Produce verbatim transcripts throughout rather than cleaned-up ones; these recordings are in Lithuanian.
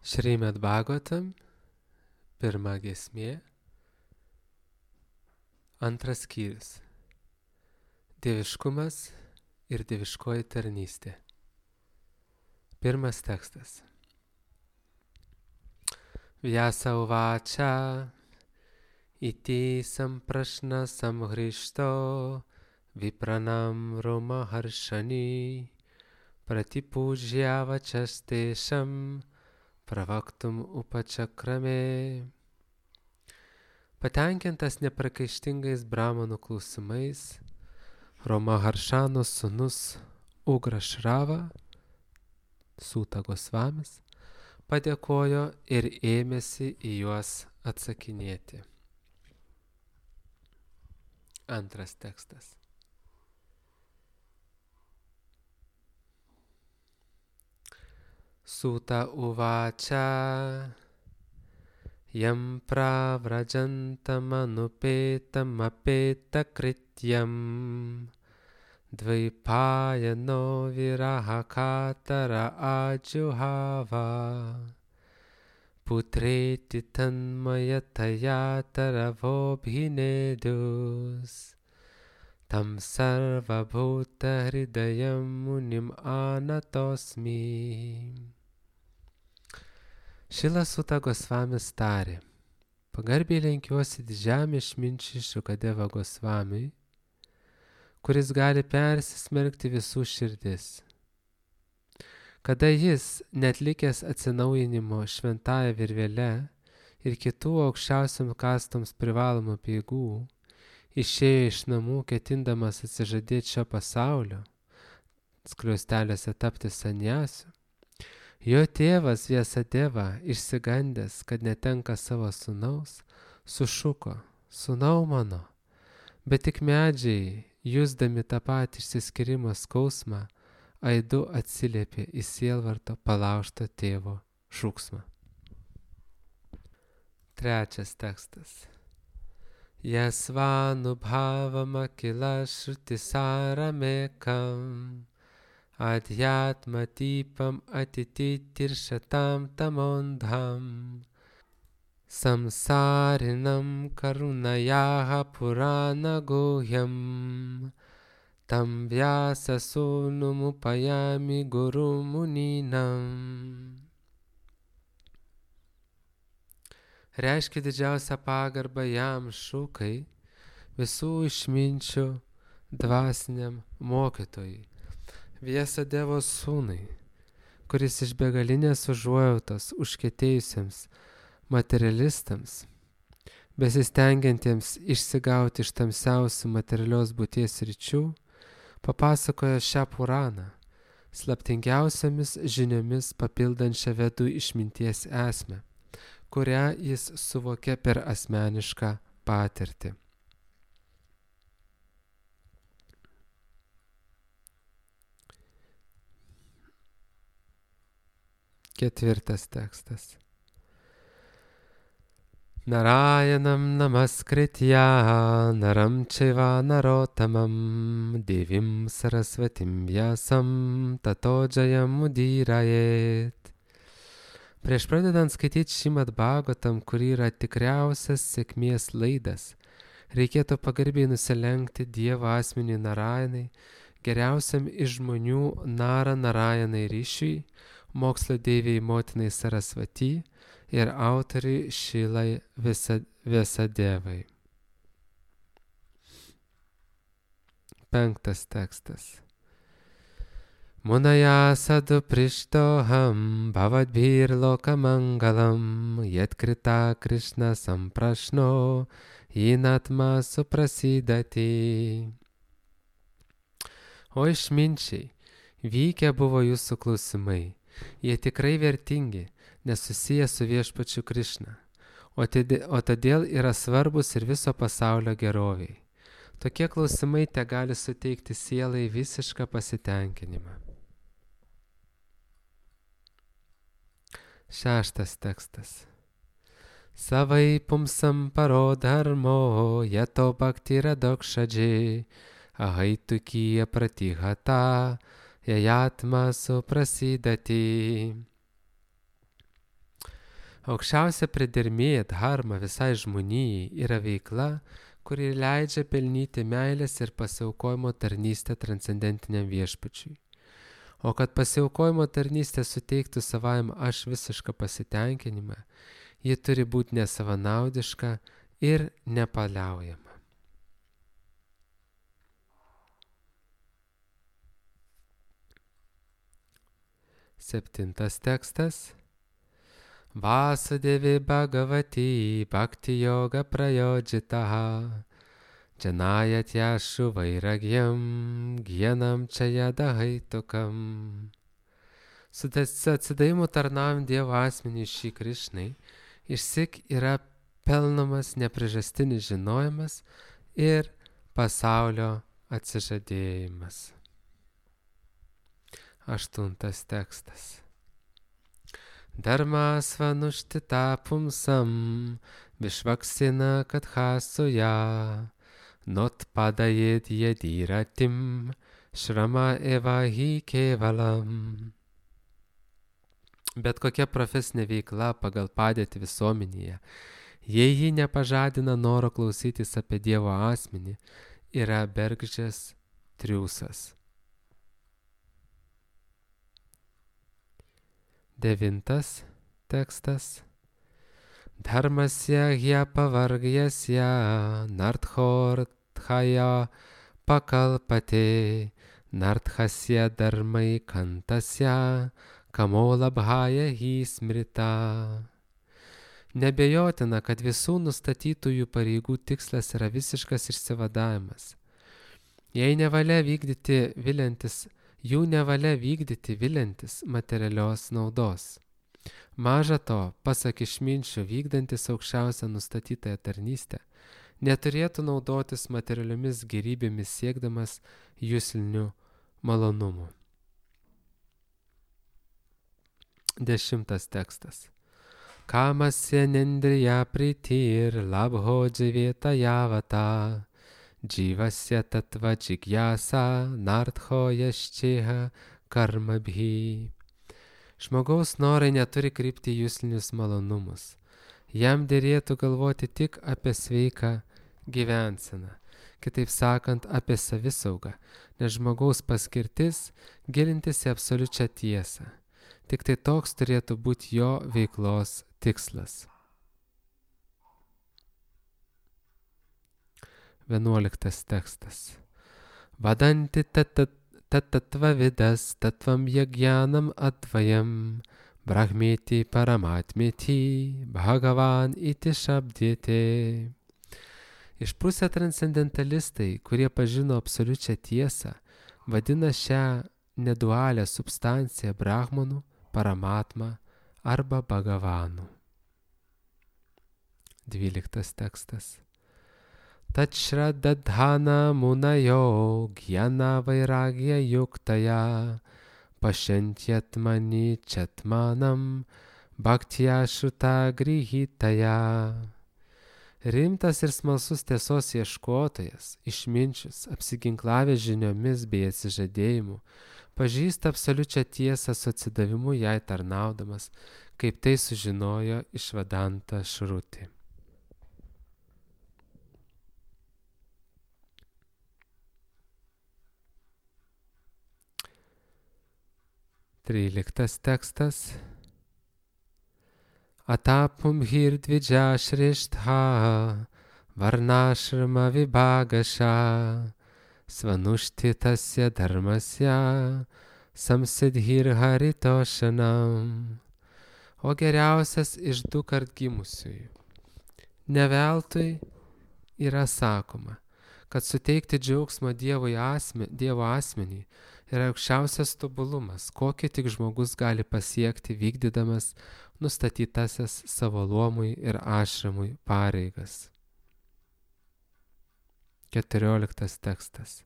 Šrimad Bhagavatam, pirma giesmė, antras skyrius. Dieviškumas ir dieviškoji tarnystė. Pirmas tekstas. Vyasa uvača, iti samprašna samhrišto, vipranam roma haršani, pratipūžjava častešam, pravaktum upačakrame. Patenkintas neprakaištingais brahmanų klausimais, Roma Haršano sūnus Ugrašrava, Sūta Gosvamis, padėkojo ir ėmėsi į juos atsakinėti. Antras tekstas. Sūta uvača, jam pravrajantam anupėtam apėta krityam, dvaipājano viraha katara adjuhava, putreti tanmayataya taravobhinedus, tam sarvabhuta hridayam munim anatosmi. Šilas Sūta Gosvamis tarė: pagarbiai lenkiuosi didžiam išminčiui Šukadeva Gosvamiui, kuris gali persismelkti visų širdis. Kada jis, netlikęs atsinaujinimo šventąja virvele ir kitų aukščiausiam kastoms privalomų peigų, išėjo iš namų ketindamas atsižadėti šio pasaulio, skliausteliuose tapti sanjasiu, jo tėvas Vyasadeva, išsigandęs, kad netenka savo sūnaus, sušuko: sūnau mano, bet tik medžiai, jusdami tą patį išsiskyrimo skausmą, aidu atsiliepė į sielvarto palaužto tėvo šūksmą. Trečias tekstas. Yasvanubhavama kila shrutisāramekam, adhyatmatipam atititiršatam tamondham, samsarinam karunayaha purana guhyam, tam vyasa sūnumupajami guru muninam. Reiškia didžiausią pagarbą jam Šukai, visų išminčių dvasiniam mokytojui, Vyasadevo sūnui, kuris iš begalinės užuojautos užkietėjusiems materialistams, besistengiantiems išsigauti iš tamsiausių materialios būties sričių, papasakojo šią Puraną, slaptingiausiamis žiniomis papildančią vedų išminties esmę, kurią jis suvokė per asmenišką patirtį. Ketvirtas tekstas. Narayanam namaskritya naram čaiva narotamam devim sarasvatim vyasam tato jayam udirajet. Prieš pradedant skaityti Šrimad Bhagavatam, kur yra tikriausias sėkmės laidas, reikėtų pagarbiai nusilenkti Dievo asmeniui Narayanai, geriausiam iš žmonių Nara Narayanai ryšiui, mokslo deivei motinai Sarasvati ir autoriui Šilai Vyasadevai. Penktas tekstas. Munaya sadu prishtoham bhavadbhir lokamangalam yatkrita Krishna samprashno jinatma suprasidati. O išminčiai, vykę buvo jūsų klausimai. Jie tikrai vertingi, nes susiję su viešpačiu Krišna, o, o todėl yra svarbus ir viso pasaulio geroviai. Tokie klausimai te gali suteikti sielai visišką pasitenkinimą. Šeštas tekstas. Savai pumsam parodharmo yato bhaktira dokshadži ahaitukija pratihata jajatma suprasidati. Aukščiausia pridermė dharma visai žmonijai yra veikla, kuri leidžia pelnyti meilės ir pasiaukojimo tarnystę transcendentiniam viešpačiui. O kad pasiaukojimo tarnystė suteiktų savajam aš visišką pasitenkinimą, ji turi būti nesavanaudiška ir nepaliaujama. Septintas tekstas. Vasudevi Bhagavati Bhakti Yoga Prayojitaha Janayat Yashu Vairagyam Gyanam Chayadahaitukam. Su atsidavimu tarnaujant Dievo asmeniui šį Krišnai, išsyk yra pelnomas nepriežastinis žinojimas ir pasaulio atsižadėjimas. Aštuntas tekstas. Dharma svanushtita pumsam vishvaksina kathasuya notpadayet yadiratim shrama eva hi kevalam. Bet kokia profesinė veikla pagal padėtį visuomenėje, jei ji nepažadina noro klausytis apie Dievo asmenį, yra bergždžias triūsas. Devintas tekstas. Dharmasya hyapavargyasya narthorthaya pakalpate narthasya dharmai kantasya kamolabhaya hi smrita. Nebejotina, kad visų nustatytųjų pareigų tikslas yra visiškas išsivadavimas. Jei nevalia vykdyti viliantis Jų nevalia vykdyti viliantis materialios naudos. Maža to, pasak išminčių, vykdantis aukščiausią nustatytąją tarnystę, neturėtų naudotis materialiomis gėrybėmis siekdamas juslinių malonumų. Dešimtas tekstas. Kamasya nendriya pritir labho dživeta javata. Jivasya tattva jigyasa nartho yasčeha karmabhi. Žmogaus norai neturi krypti juslinius malonumus. Jam derėtų galvoti tik apie sveiką gyvenseną, kitaip sakant, apie savisaugą, nes žmogaus paskirtis gilintis į absoliučią tiesą. Tik tai toks turėtų būti jo veiklos tikslas. Vienuoliktas tekstas. Vadanti tatatva vidas tatvam yagyanam advayam brahmeti paramatmeti bhagavan iti shabdite. Išprusę transcendentalistai, kurie pažino absoliučią tiesą, vadina šią nedualią substanciją brahmanų, paramatma arba bhagavanu. Dvyliktas tekstas. Tachradadhana munayo gyana vairagya yuktaya pashantyatmani chatmanam bhaktya šuta grihitaya. Rimtas ir smalsus tiesos ieškotojas, išminčius, apsiginklavęs žiniomis bei atsižadėjimu, pažįsta absoliučią tiesą su atsidavimu jai tarnaudamas, kaip tai sužinojo Išvadanta Šruti. Tryliktas tekstas. Atapum hirdvidža šrištha varnashrama vibhagasha svanuštitasya dharmasya samsidhir haritoshanam. O geriausias iš du kart gimusiųjų. Ne veltui yra sakoma, kad suteikti džiaugsmą Dievo asme, Dievo asmenį yra aukščiausias tobulumas, kokį tik žmogus gali pasiekti vykdydamas nustatytasias savo luomui ir ašramui pareigas. Keturioliktas tekstas.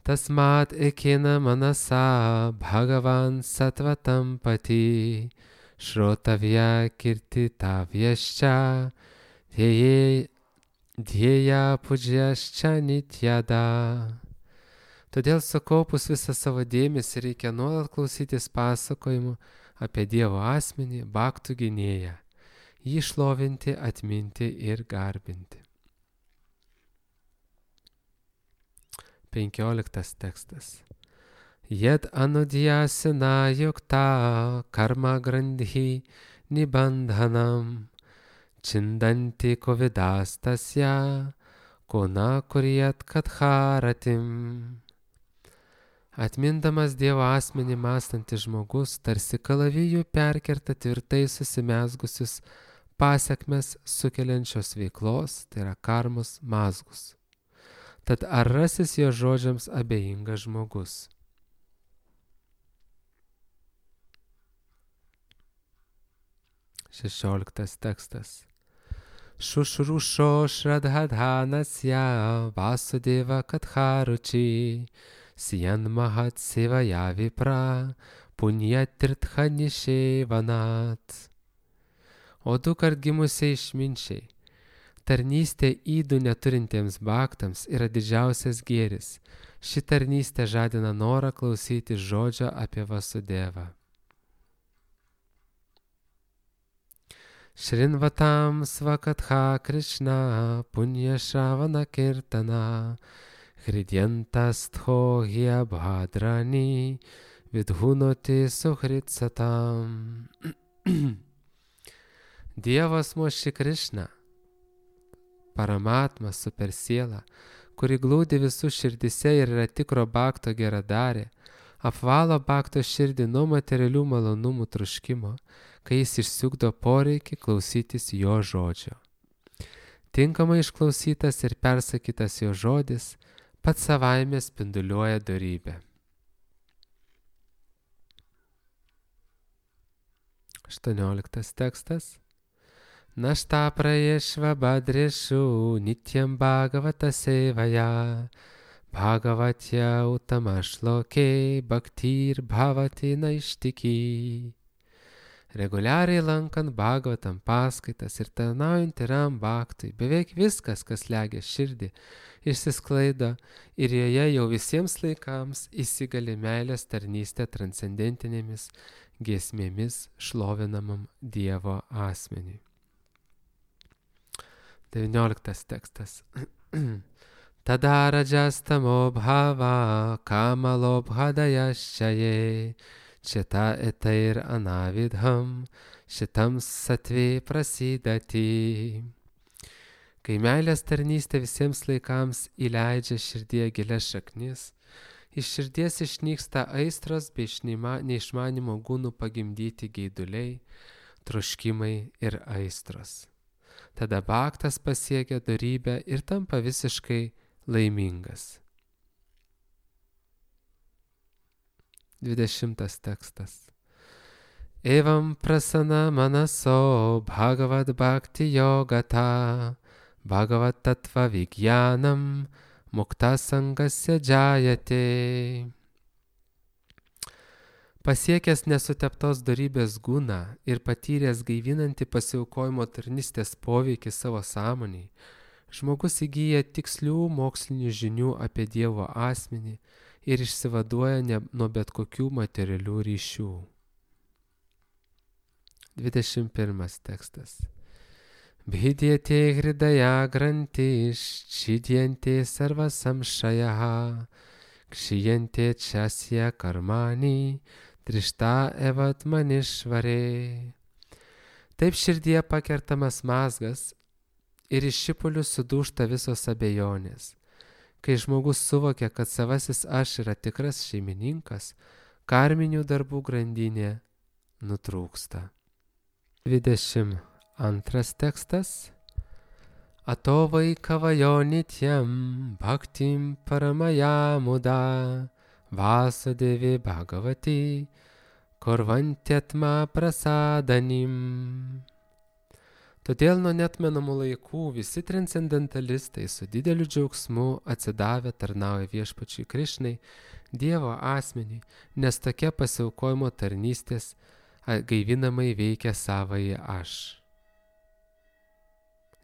Tasmat ekina manasa bhagavan satvatam pati šrotavya kirtitavyascha dhyeya pujyascha nityada. Todėl sukaupus visą savo dėmesį reikia nuolat klausytis pasakojimų apie Dievo asmenį, bhaktų gynėją, jį šlovinti, atminti ir garbinti. Penkioliktas tekstas. Jed anudhyasina yukta karma grandhi nibandhanam chindanti kovidastasya kona kuryat kadharatim. Atmindamas Dievo asmenį mąstantis žmogus tarsi kalavijų perkerta tvirtai susimezgusius pasekmes sukeliančios veiklos, tai yra karmos mazgus. Tad ar rasis jo žodžiams abejingas žmogus? Šešioliktas tekstas. Šušrušo šradhadhanasya vasudeva kadharuči siyan mahat sevaya vipra punyatirtha nishevanat. O du kart gimusiai išminčiai, tarnystė įdų neturintiems baktams yra didžiausias gėris. Ši tarnystė žadina norą klausyti žodžio apie Vasudevą. Šrinvatam svakatha Krishna punya šravana kirtana hridyantastho hyabhadrani vidhunoti suhritsatam. Dievas Moši Krishna, Paramatma super siela, kuri glūdi visų širdise ir yra tikro bakto geradarė, apvalo bakto širdį nuo materialių malonumų troškimo, kai jis išsiugdo poreikį klausytis jo žodžio. Tinkamai išklausytas ir persakytas jo žodis pats savaime spinduliuoja dorybę. aštuonioliktas tekstas. Našta prayešva badreshu nityam bhagavata sevaya bhagavatya utamašloke bhaktir bhavati naištiki. Reguliariai lankant Bhagavatam paskaitas ir tarnaujant tyram bhaktui, beveik viskas, kas slegia širdį, išsisklaido ir joje jau visiems laikams įsigali meilės tarnystė transcendentinėmis giesmėmis šlovinamam Dievo asmeniui. devynioliktas tekstas. Tada rajastamo bhava kamalobhadayaschaye Čita etair anavidham, šitam satvė prasidati. Kai meilės tarnystė visiems laikams įleidžia širdyje gilias šaknis, iš širdies išnyksta aistros bei neišmanimo gūnų pagimdyti geiduliai, troškimai ir aistros. Tada bhaktas pasiekia dorybę ir tampa visiškai laimingas. dvidešimtas tekstas. Evam prasana manaso bhagavad bhakti yogata bhagavad tattva vigyanam mukta sangasya džayate. Pasiekęs nesuteptos dorybės gūną ir patyręs gaivinantį pasiaukojimo tarnystės poveikį savo sąmoniai, žmogus įgyja tikslių mokslinių žinių apie Dievo asmenį ir išsivaduoja ne, nuo bet kokių materialių ryšių. dvidešimt pirmas tekstas. Bhidyate hridaya grantish chidyante sarvasamshayaha kshiyante chasya karmani trishta evat manishvare. Taip širdyje pakertamas mazgas ir iš šipulių sudūžta visos abejonės. Kai žmogus suvokia, kad savasis aš yra tikras šeimininkas, karminių darbų grandinė nutrūksta. dvidešimt antras tekstas. Ato vaikavajo nityam bhaktim paramaya muda vasudevi bhagavati kurvantyatma prasadanim. Todėl nuo neatmenamų laikų visi transcendentalistai su dideliu džiaugsmu atsidavę tarnauja viešpačiui Krišnai, Dievo asmeniui, nes tokia pasiaukojimo tarnystės gaivinamai veikia savąjį aš.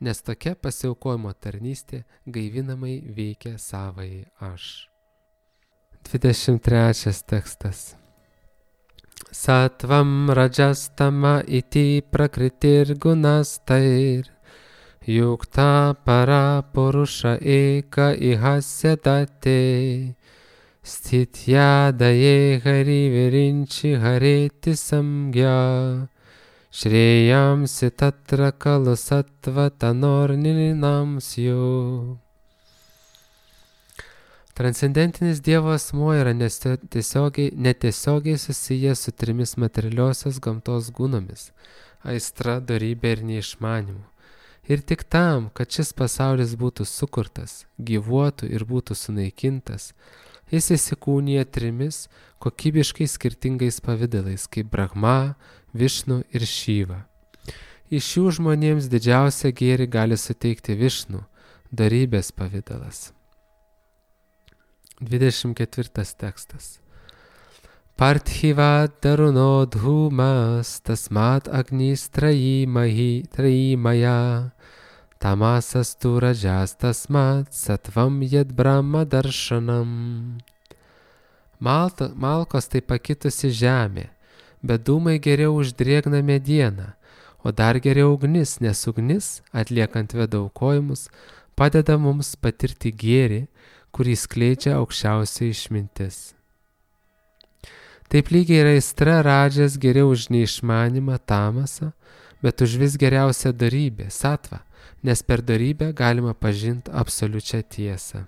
Nes tokia pasiaukojimo tarnystė gaivinamai veikia savąjį aš. dvidešimt trečias tekstas. Satvam rajastama iti prakritir gunastair yukta para purusha eka ihasya date stitya daye hari virinchi hareti samgya shreyamsi tatra kalu sattva tanornilinamsyo. Transcendentinis Dievo asmuo yra netiesiogiai, netiesiogiai susijęs su trimis materialiosios gamtos gunomis – aistra, dorybė ir neišmanimu. Ir tik tam, kad šis pasaulis būtų sukurtas, gyvuotų ir būtų sunaikintas, jis įsikūnija trimis kokybiškai skirtingais pavidalais kaip Brahma, Višnu ir Šiva. Iš jų žmonėms didžiausią gėrį gali suteikti Višnu, dorybės pavidalas. dvidešimt ketvirtas tekstas. Parthiva daruno dhūmas tasmat agnis trayimahi trayimaya tamasas tu rajas tasmat satvam yad brahma darshanam. Malta, malkos tai pakitusi žemė, bet dūmai geriau už drėgną medieną, o dar geriau ugnis, nes ugnis, atliekant vedaukojimus, padeda mums patirti gėrį, kurį skleidžia aukščiausia išmintis. Taip lygiai yra aistra radžas geriau už neišmanimą tamasą, bet už vis geriausią dorybę, satvą, nes per dorybę galima pažinti absoliučią tiesą.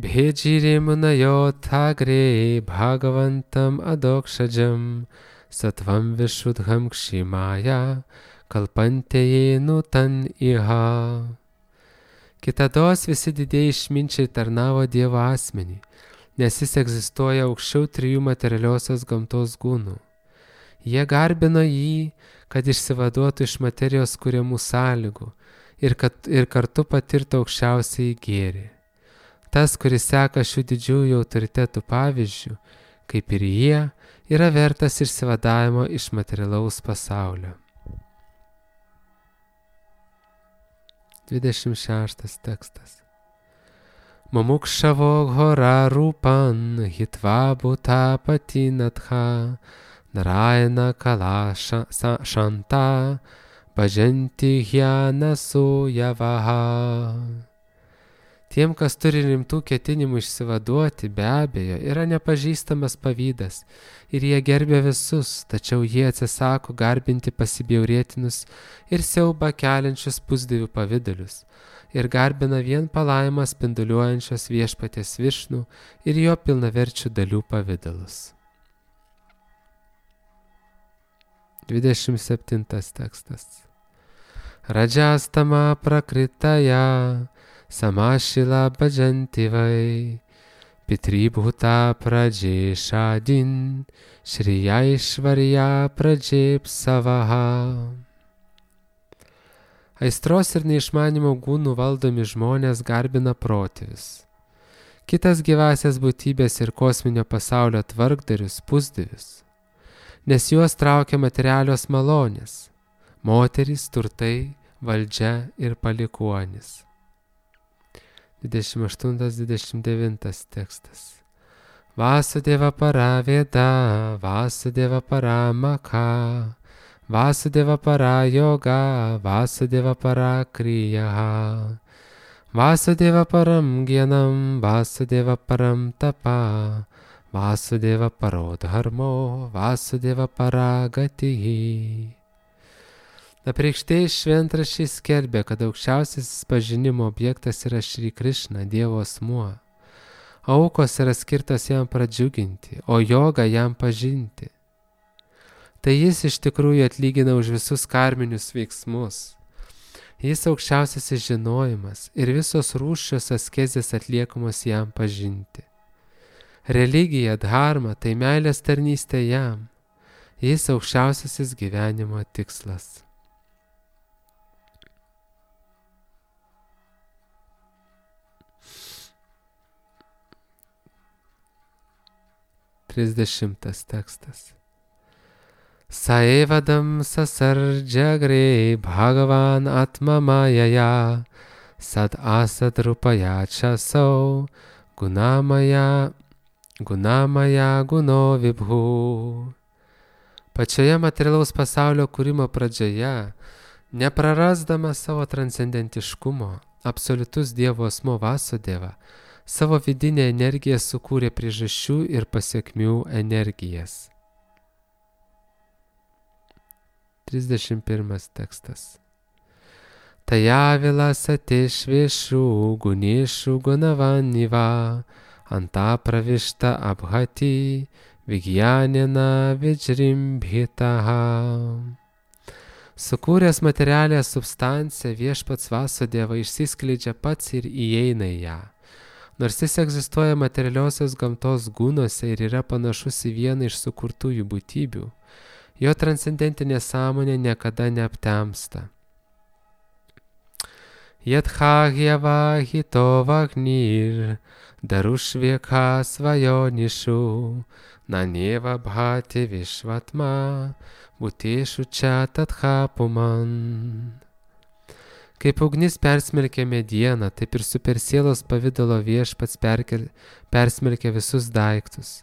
Bhejirimunayo thagre bhagavantam adokshajam satvam vishudham kshimaya kalpanteye nutan iha. Kitados visi didieji išminčiai tarnavo Dievo asmenį, nes jis egzistuoja aukščiau trijų materialiosios gamtos gūnų. Jie garbino jį, kad išsivaduotų iš materijos kuriamų sąlygų ir, kad, ir kartu patirtų aukščiausiai gėrį. Tas, kuris seka šių didžiųjų autoritetų pavyzdžių, kaip ir jie, yra vertas išsivadavimo iš materialaus pasaulio. dvidešimt šeštas tekstas. Mumukshavo ghora rupan hitva bhuta patinatha narayana kala shanta bhajanti hyana suyavaha. Tiem, kas turi rimtų ketinimų išsivaduoti, be abejo, yra nepažįstamas pavydas ir jie gerbia visus, tačiau jie atsisako garbinti pasibjaurėtinus ir siaubą keliančius pusdievių pavidalius ir garbina vien palaimą spinduliuojančios viešpaties Višnų ir jo pilnaverčių dalių pavidalus. dvidešimt septintas tekstas. Rajastama prakritaya samashila bhajanti vai pitribhuta prajesha-din shriyaishvarya prajepsavaha. Aistros ir neišmanimo gūnų valdomi žmonės garbina protėvius. Kitas gyvasias būtybės ir kosminio pasaulio tvarkdarius pusdievius, nes juos traukia materialios malonės, moterys, turtai, valdžia ir palikuonis. dvidešimt aštuntas dvidešimt devintas tekstas. Vasudeva para veda, Vasudeva para makha, Vasudeva para yoga, Vasudeva para kriyaha, Vasudeva param gyanam, Vasudeva param tapa, Vasudeva paro dharmo, Vasudeva para gatihi. Apreikštieji šventraščiai skelbia, kad aukščiausiasis pažinimo objektas yra Šri Krišna, Dievo asmuo. Aukos yra skirtos jam pradžiuginti, o joga jam pažinti. Tai jis iš tikrųjų atlygina už visus karminius veiksmus. Jis aukščiausiasis žinojimas ir visos rūsčios askezės atliekamos jam pažinti. Religija, dharma, tai meilės tarnystė jam. Jis aukščiausiasis gyvenimo tikslas. trisdešimtas tekstas. Saevadam sasardžagre bhagavan atma majaya sad asad rupaya chasau gunamaya Gunamaya guno vibhu. Pačioje materialaus pasaulio kūrimo pradžioje, neprarasdamas savo transcendentiškumo, absoliutus Dievo asmuo Vasudeva savo vidinę energiją sukūrė priežasčių ir pasiekmių energijas. trisdešimt pirmas tekstas. Tajavila satešvėšų guniešių gunavaniva anta pravišta abhati vigjanina vidžrimbhitaha. Sukūręs materialią substanciją, viešpats Vasudeva išsiskleidžia pats ir įeina į ją. Nors jis egzistuoja materialiosios gamtos gūnuose ir yra panašus į vieną iš sukurtųjų būtybių, jo transcendentinė sąmonė niekada neaptemsta. Yadhagyava hito vagnir darushvekha svajonišu naneva bhati vishvatma bhuteshu cha tathapuman. Kaip ugnis persmelkia medieną, taip ir supersielos pavidalo viešpats perkel, persmelkia visus daiktus.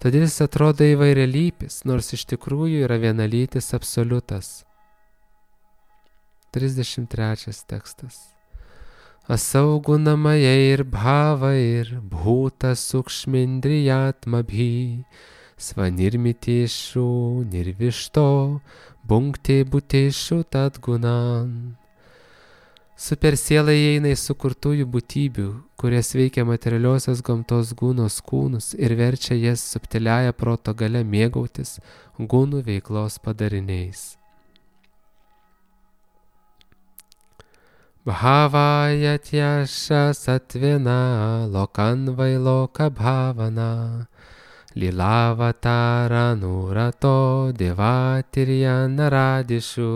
Todėl jis atrodo įvairialypis, nors iš tikrųjų yra vienalytis absoliutas. trisdešimt trečias tekstas. Asaugunamaya ir bhava ir bhuta sukšmindriyatmabhi svanirmiteshu nirvišto bunkte buteshu tadgunan. Supersiela įeina į sukurtųjų būtybių, kurias veikia materialiosios gamtos gūnos kūnus ir verčia jas subtiliaja proto galia mėgautis gūnų veiklos padariniais. Bhavayatyasha satvena lokan vailoka bhavana lilavatara nurato devatirya naradishu.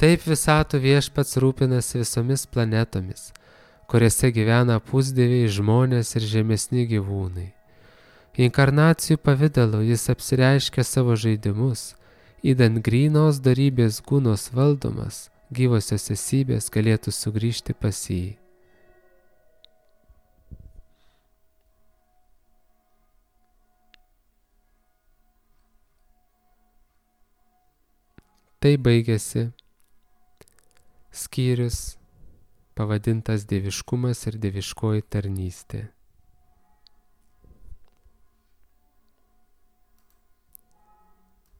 Taip visatų viešpats rūpinasi visomis planetomis, kuriuose gyvena pusdieviai, žmonės ir žemesni gyvūnai. Inkarnacijų pavidalu jis apsireiškia savo žaidimus, įdant grynos dorybės gūnos valdomas, gyvosios esybės galėtų sugrįžti pas jį. Tai baigėsi skyrius pavadintas Dieviškumas ir dieviškoji tarnystė.